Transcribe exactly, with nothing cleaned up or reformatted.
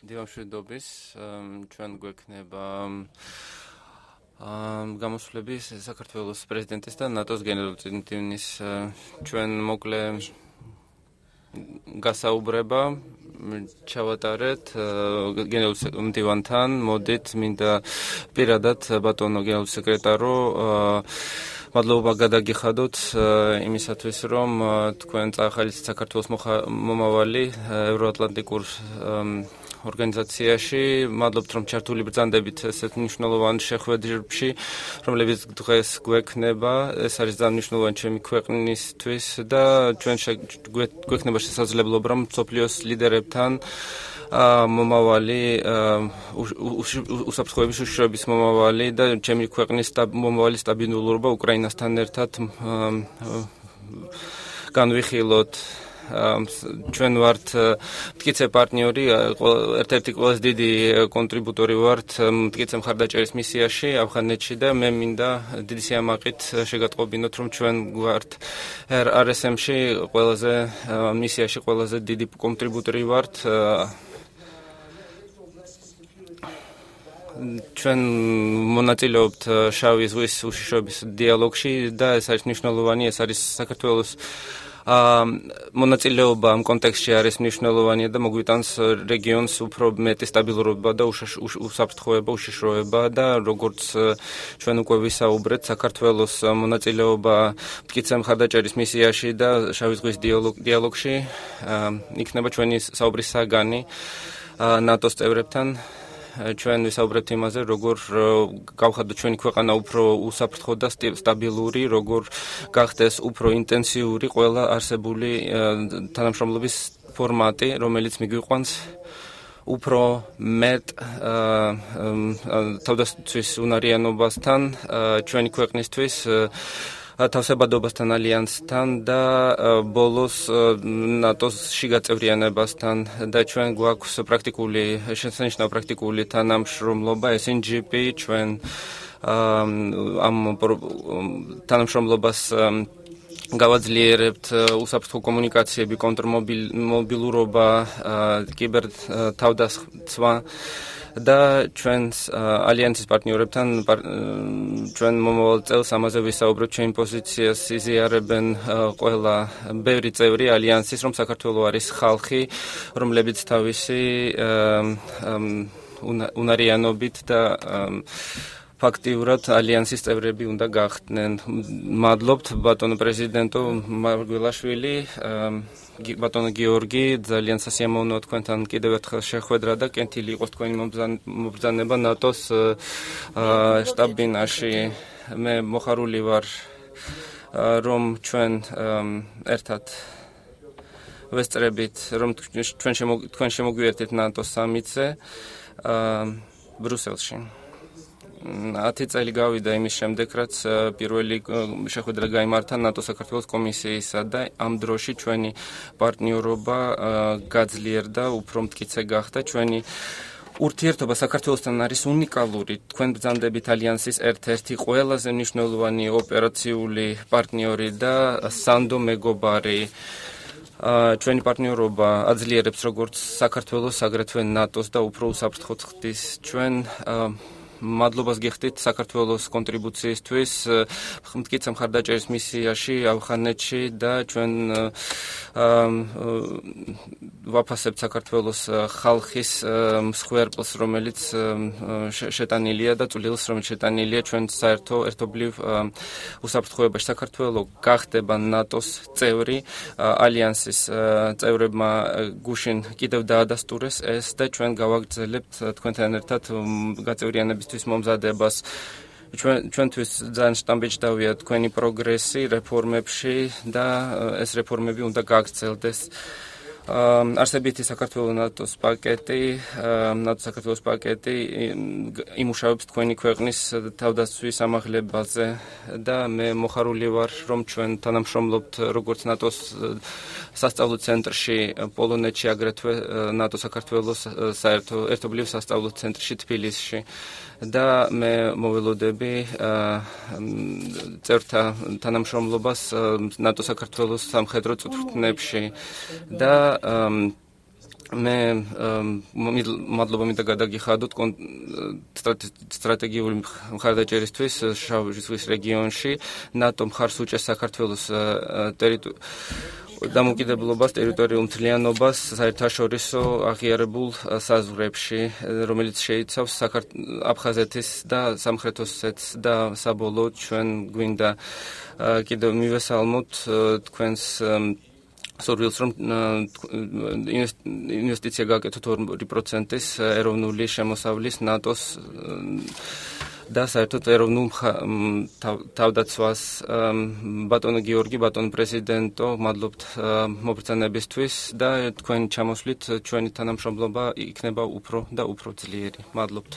დიამშვიდობის ჩვენ გვექნება გამოსვლები საქართველოს პრეზიდენტის და ნატოს გენერალური წინდინის ჩვენ მოკლე გასაუბრება ჩავატარეთ გენერალურ მდივანთან, მოდით მინდა პირადად ბატონო გენერალურ სეკრეტარო მადლობა გადაგიხადოთ იმისათვის, რომ თქვენ წაახალისეთ საქართველოს მომავალი ევროატლანტიკურ ორგანიზაციაში, მადლობთ, რომ ჩართული ბრძანდებით ესეთ მნიშვნელოვან შეხვედრებში, რომლებიც დღეს გვექნება, ეს არის ძალიან მნიშვნელოვანი ჩემი ქვეყნისთვის და ჩვენ გვექნება შესაძლებლობა, რომ მსოფლიოს ლიდერებთან მომავალი უსაფრთხოების უშიშროების მომავალი და ჩემი ქვეყნის მომავალი სტაბილურობა უკრაინასთან ერთად განვიხილოთ. ჩვენ ვართ მტკიცე პარტნიორი, ერთ-ერთი ყველაზე დიდი კონტრიბუტორი ვართ მტკიცე მხარდაჭერის მისიაში ავღანეთში და მე მინდა დიდი სიამაყით შეგატყობინოთ, რომ ჩვენ ვართ არ ეს ემში ყველაზე მისიაში ყველაზე დიდი კონტრიბუტორი ვართ. ჩვენ მონაწილეობთ შავი ზღვის უშიშროების დიალოგში და ეს არის მნიშვნელოვანი, ეს არის საქართველოს მონაწილეობა ამ კონტექსტში არის მნიშვნელოვანია და მოგვიტანს რეგიონს უფრო მეტი სტაბილურობა და უსაფრთხოება, უშიშროება და როგორც ჩვენ უკვე ვისაუბრეთ, საქართველოს მონაწილეობა მტკიცე მხარდაჭერის მისიაში და შავი ზღვის დიალოგში იქნება ჩვენი საუბრის საგანი ნატოს წევრებთან. ჩვენ ვისაუბრებთ იმაზე, როგორ გავხადოთ ჩვენი ქვეყანა უფრო უსაფრთხო და სტაბილური, როგორ გახდეს უფრო ინტენსიური ყველა არსებული თანამშრომლობის ფორმატი, რომელიც მიგვიყვანს უფრო მეტ თავდაცვის უნარიანობასთან ჩვენი ქვეყნისთვის თავსებადობასთან ალიანსთან და ბოლოს ნატოს შიგაწევრიანებასთან და ჩვენ გვაქვს პრაქტიკული შესანიშნავი პრაქტიკული თანამშრომლობა ეს ენ ჯი პი ჩვენ ამ თანამშრომლობას გავაძლიერებთ უსაფრთხო კომუნიკაციები, კონტრმობილურობა, კიბერ თავდასხმა და ჩვენს ალიანსის პარტნიორებთან ჩვენ მომავალ წელს ამაზე ვისაუბრებთ, ჩვენი პოზიციას იზიარებენ ყველა ბევრი წევრი ალიანსის, რომ საქართველო არის ხალხი, რომლებიც თავისი უნარიანობით და ფაქტიურად ალიანსის წევრები უნდა გახდნენ. მადლობთ ბატონო პრეზიდენტო მარგველაშვილი, ბატონო გიორგი, ძალიან სასიამოვნოა თქვენთან კიდევ ერთხელ შეხვედრა და კენთილი იყოს თქვენი მობრძანება ნატოს შტაბ-ბინაში. მე მოხარული ვარ, რომ ჩვენ ერთად ვესწრებით, რომ თქვენ შემოგვიერთეთ ნატოს სამიტზე ბრუსელში. ათი წელი გავიდა იმის შემდეგ, რაც პირველი შეხვედრა გაიმართა ნატო-საქართველოს კომისიისა და ამ დროში ჩვენი პარტნიორობა გაძლიერდა, უფრო მტკიცე გახდა. ჩვენი ურთიერთობა საქართველოსთან არის უნიკალური. თქვენ ბრძანდებით ალიანსის ერთ-ერთი ყველაზე მნიშვნელოვანი ოპერაციული პარტნიორი და სანდო მეგობარი. ჩვენი პარტნიორობა აძლიერებს როგორც საქართველოს, აგრეთვე ნატოს და უფრო უსაფრთხო ხდის. ჩვენ მადლობას გიხდით საქართველოს კონტრიბუციისთვის მტკიცე მხარდაჭერის მისიაში ავღანეთში და ჩვენ ვაფასებთ საქართველოს ხალხის მსხვერპლს, რომელიც შეტანილია და წვლილს, რომელიც შეტანილია ჩვენ საერთო ერთობლივ უსაფრთხოებაში. საქართველო გახდება ნატოს წევრი, ალიანსის წევრებმა გუშინ კიდევ დაადასტურეს ეს და ჩვენ გავაგრძელებთ თქვენთან ერთად გაწევრიანების მომზადებას. ჩვენ ჩვენთვის ძალიან შტამბეჭდავია თქვენი პროგრესი რეფორმებში და ეს რეფორმები უნდა გაგრძელდეს. არსებითი საქართველოს ნატოს პაკეტი, ნატო-საქართველოს პაკეტი იმუშავებს თქვენი ქვეყნის თავდაცვის ამაღლებაზე და მე მოხარული ვარ, რომ ჩვენ თანამშრომლობთ როგორც ნატოს სასწავლო ცენტრში პოლონეთში, აგრეთვე ნატო-საქართველოს საერთო ერთობლივ სასწავლო ცენტრში თბილისში. და მე მოველოდები წევრთა თანამშრომლობას ნატო-საქართველოს სამხედრო წვრთნებში და მე მადლობა მინდა გადაგიხადოთ სტრატეგიული მხარდაჭერისთვის შავი ზღვის რეგიონში ნატო მხარს უჭერს საქართველოს დამოუკიდებლობას, ტერიტორიულ მთლიანობას საერთაშორისო აღიარებულ საზღვრებში, რომელიც შეიცავს აფხაზეთის და სამხრეთ ოსეთის და საბოლოოდ ჩვენ გვინდა კიდევ მივესალმოთ თქვენს სურვილს რომ ინვესტიცია გააკეთოთ ორი პროცენტის ეროვნული შემოსავლის ნატოს და საერთოდ ეროვნულ თავდაცვას ბატონო გიორგი, ბატონო პრეზიდენტო, მადლობთ მობრძანებისთვის და თქვენი ჩამოსვლით ჩვენი თანამშრომლობა იქნება უფრო და უფრო ძლიერი. მადლობთ.